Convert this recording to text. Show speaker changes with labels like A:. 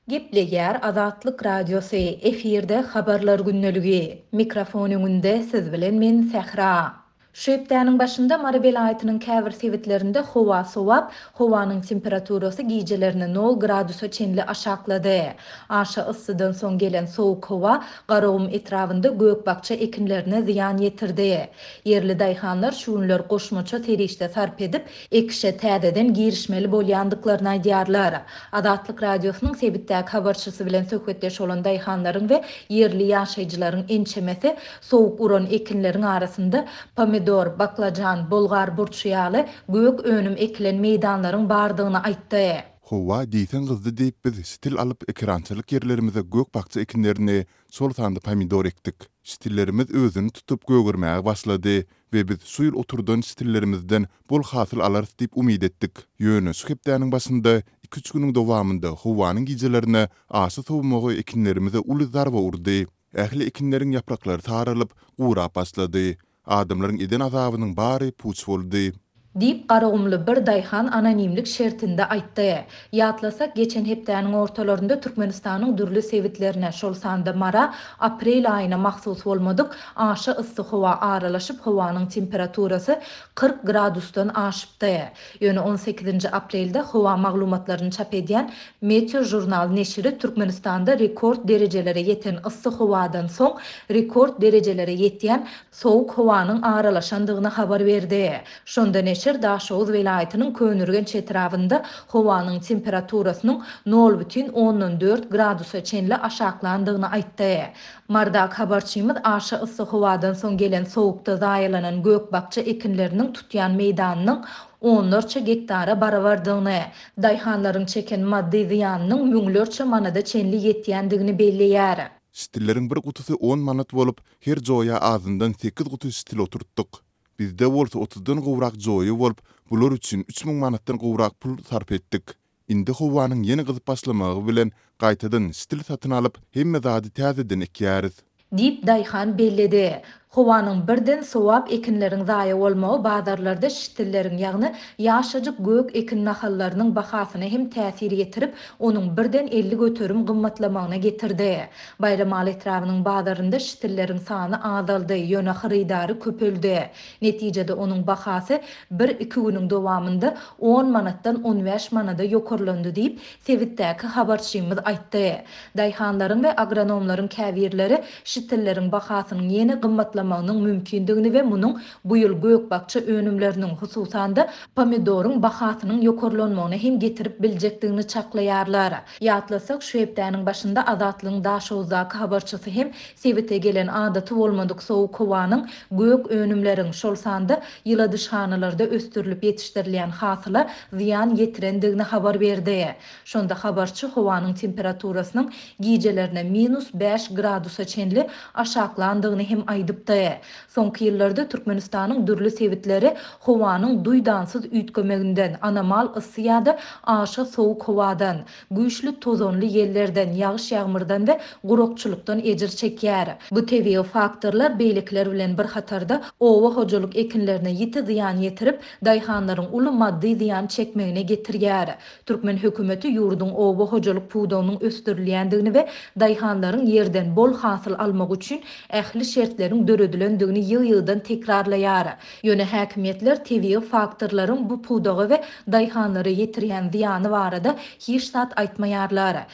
A: Gepleýär Azatlyk Radiosy, efirde Habarlar gündeligi. Mikrofon öňünde siz bilen men Sähra. Şu hepdäniň başynda Mary welaýatynyň käbir sebitlerinde howa sowap, howanyň temperaturasy gijelerine nol gradusa çenli aşaklady. Aşa yssydan soň gelen sowuk howa Garagum etrabynda gök-bakja ekinlerine zyýan ýetirdi. Ýerli daýhanlar şu günler goşmaça serişde sarp edip, ekişe täzeden girişmeli bolýandyklaryny aýdýarlar. Azatlyk Radiosynyň sebitdäki habarçysy bilen söhbetdeş bolan daýhanlaryň we ýerli ýaşaýjylaryň ençemesi sowuk uran ekinleriň arasynda pomidor, baklajan, bolgar burçy ýaly gök önüm ekilen meýdanlaryň bardygyny aýtdy.
B: Howa diýseň gyzdy diýip biz şitil alyp ekerançylyk ýerlerimize gök-bakja ekinlerini, şol sanda pomidor ekdik. Şitillerimiz özüni tutup gögermäge başlady we biz şu ýyl oturdan şitillerimizden bol hasyl alarys diýip umyt etdik. Ýöne şu hepdäniň başynda iki-üç günüň dowamynda howanyň gijelerine aşa sowmagy ekinlerimize uly zarba urdy. Ähli ekinleriň ýapraklary saralyp, gurap başlady. Adamlaryň eden azabynyň bary puç boldy.
A: Diýip, garagumly bir daýhan anonimlik şertinde aýtdy. Ýatlasak, geçen hepdäniň ortalarynda Türkmenistanyň dürli sebitlerine, şol sanda Mara aprel aýyna mahsus bolmadyk aşa yssy howa aralaşyp, howanyň temperaturasy 40 gradusdan aşypdy. Ýöne on sekizinji aprelde howa maglumatlaryny çap edýän Meteožurnal neşiri Türkmenistanda rekord derejelere ýeten yssy howadan soň rekord derejelere ýetýän sowuk howanyň aralaşandygyny habar berdi. Şonda neşir Daşoguz welaýatynyň Köneürgenç etrabynda howanyň temperaturasynyň nol bütin ondan dört gradusa çenli aşaklandygyny aýtdy. Marydaky habarçymyz aşa yssy howadan soň gelen sowukda zaýalanan gök-bakja ekinleriniň tutýan meýdanynyň onlarça gektara barabardygyny, daýhanlaryň çeken maddy zyýanynyň müňlerçe manada çenli ýetýändigini belleýär.
B: Şitilleriň bir gutusy on manat bolup, her joýa azyndan sekiz guty şitil oturtdyk. Bizde bolsa otuzdan gowrak joýa bolup, bular üçin 3000 manatdan gowrak pul sarp etdik. Indi howanyň ýene gyzyp başlamagy bilen gaýtadan şitil satyn alyp, hemme zady täzeden ekýäris.
A: Diýip, daýhan belledi. Howanyň birden sowap ekinleriň zaýa bolmagy bazarlarda şitilleriň, ýagny ýaşajyk gök ekin nahallarynyň bahasyna hem täsir ýetirip, onuň birden 50% gymmatlamagyna getirdi. Baýramaly etrabynyň bazarynda şitilleriň sany azaldy, ýöne hyrydary köpeldi. Netijede onuň bahasy bir-iki günüň dowamynda on manatdan on bäş manada ýokarlandy diýip, sebitdäki habarçymyz aýtdy. Daýhanlaryň we agronomlaryň käbirleri şitilleriň bahasynyň ýene gymmatlamagynyň mümkindigini we munuň bu ýyl gök-bakja önümleriniň, hususan-da, pomidoryň bahasynyň ýokarlanmagyna hem getirip biljekdigini çaklaýarlar. Ýatlasak, şu hepdäniň başynda Azatlygyň Daşoguzdaky habarçysy hem sebite gelen adaty bolmadyk sowuk howanyň gök önümleriň, şol sanda ýyladyşhanalarda ösdürilip ýetişdirilýän hasyla zyýan ýetirendigini habar berdi. Şonda habarçy howanyň temperaturasynyň gijelerine minus bäş gradusa çenli aşaklandygyny hem aýdypdy. Soňky ýyllarda Türkmenistanyň dürli sebitleri howanyň duýdansyz üýtgemeginden, anomal yssy ýa-da aşa sowuk howadan, güýçli tozanly ýellerden, ýagyş-ýagmyrdan we gurakçylykdan ejir çekýär. Bu tebigy faktorlar beýlekiler bilen bir hatarda oba hojalyk ekinlerine ýiti zyýan ýetirip, daýhanlaryň uly maddy zyýan çekmegine getirýär. Türkmen hökümeti ýurduň oba hojalyk pudagynyň ösdürilýändigini we daýhanlaryň ýerden bol hasyl almagy üçin ähli şertleriň döredilendigini ýygy-ýygydan tekrarlaýar. Ýöne häkimiýetler tebigy faktorlaryň bu pudaga we daýhanlara ýetirýän zyýany barada hiç zat aýtmaýarlar.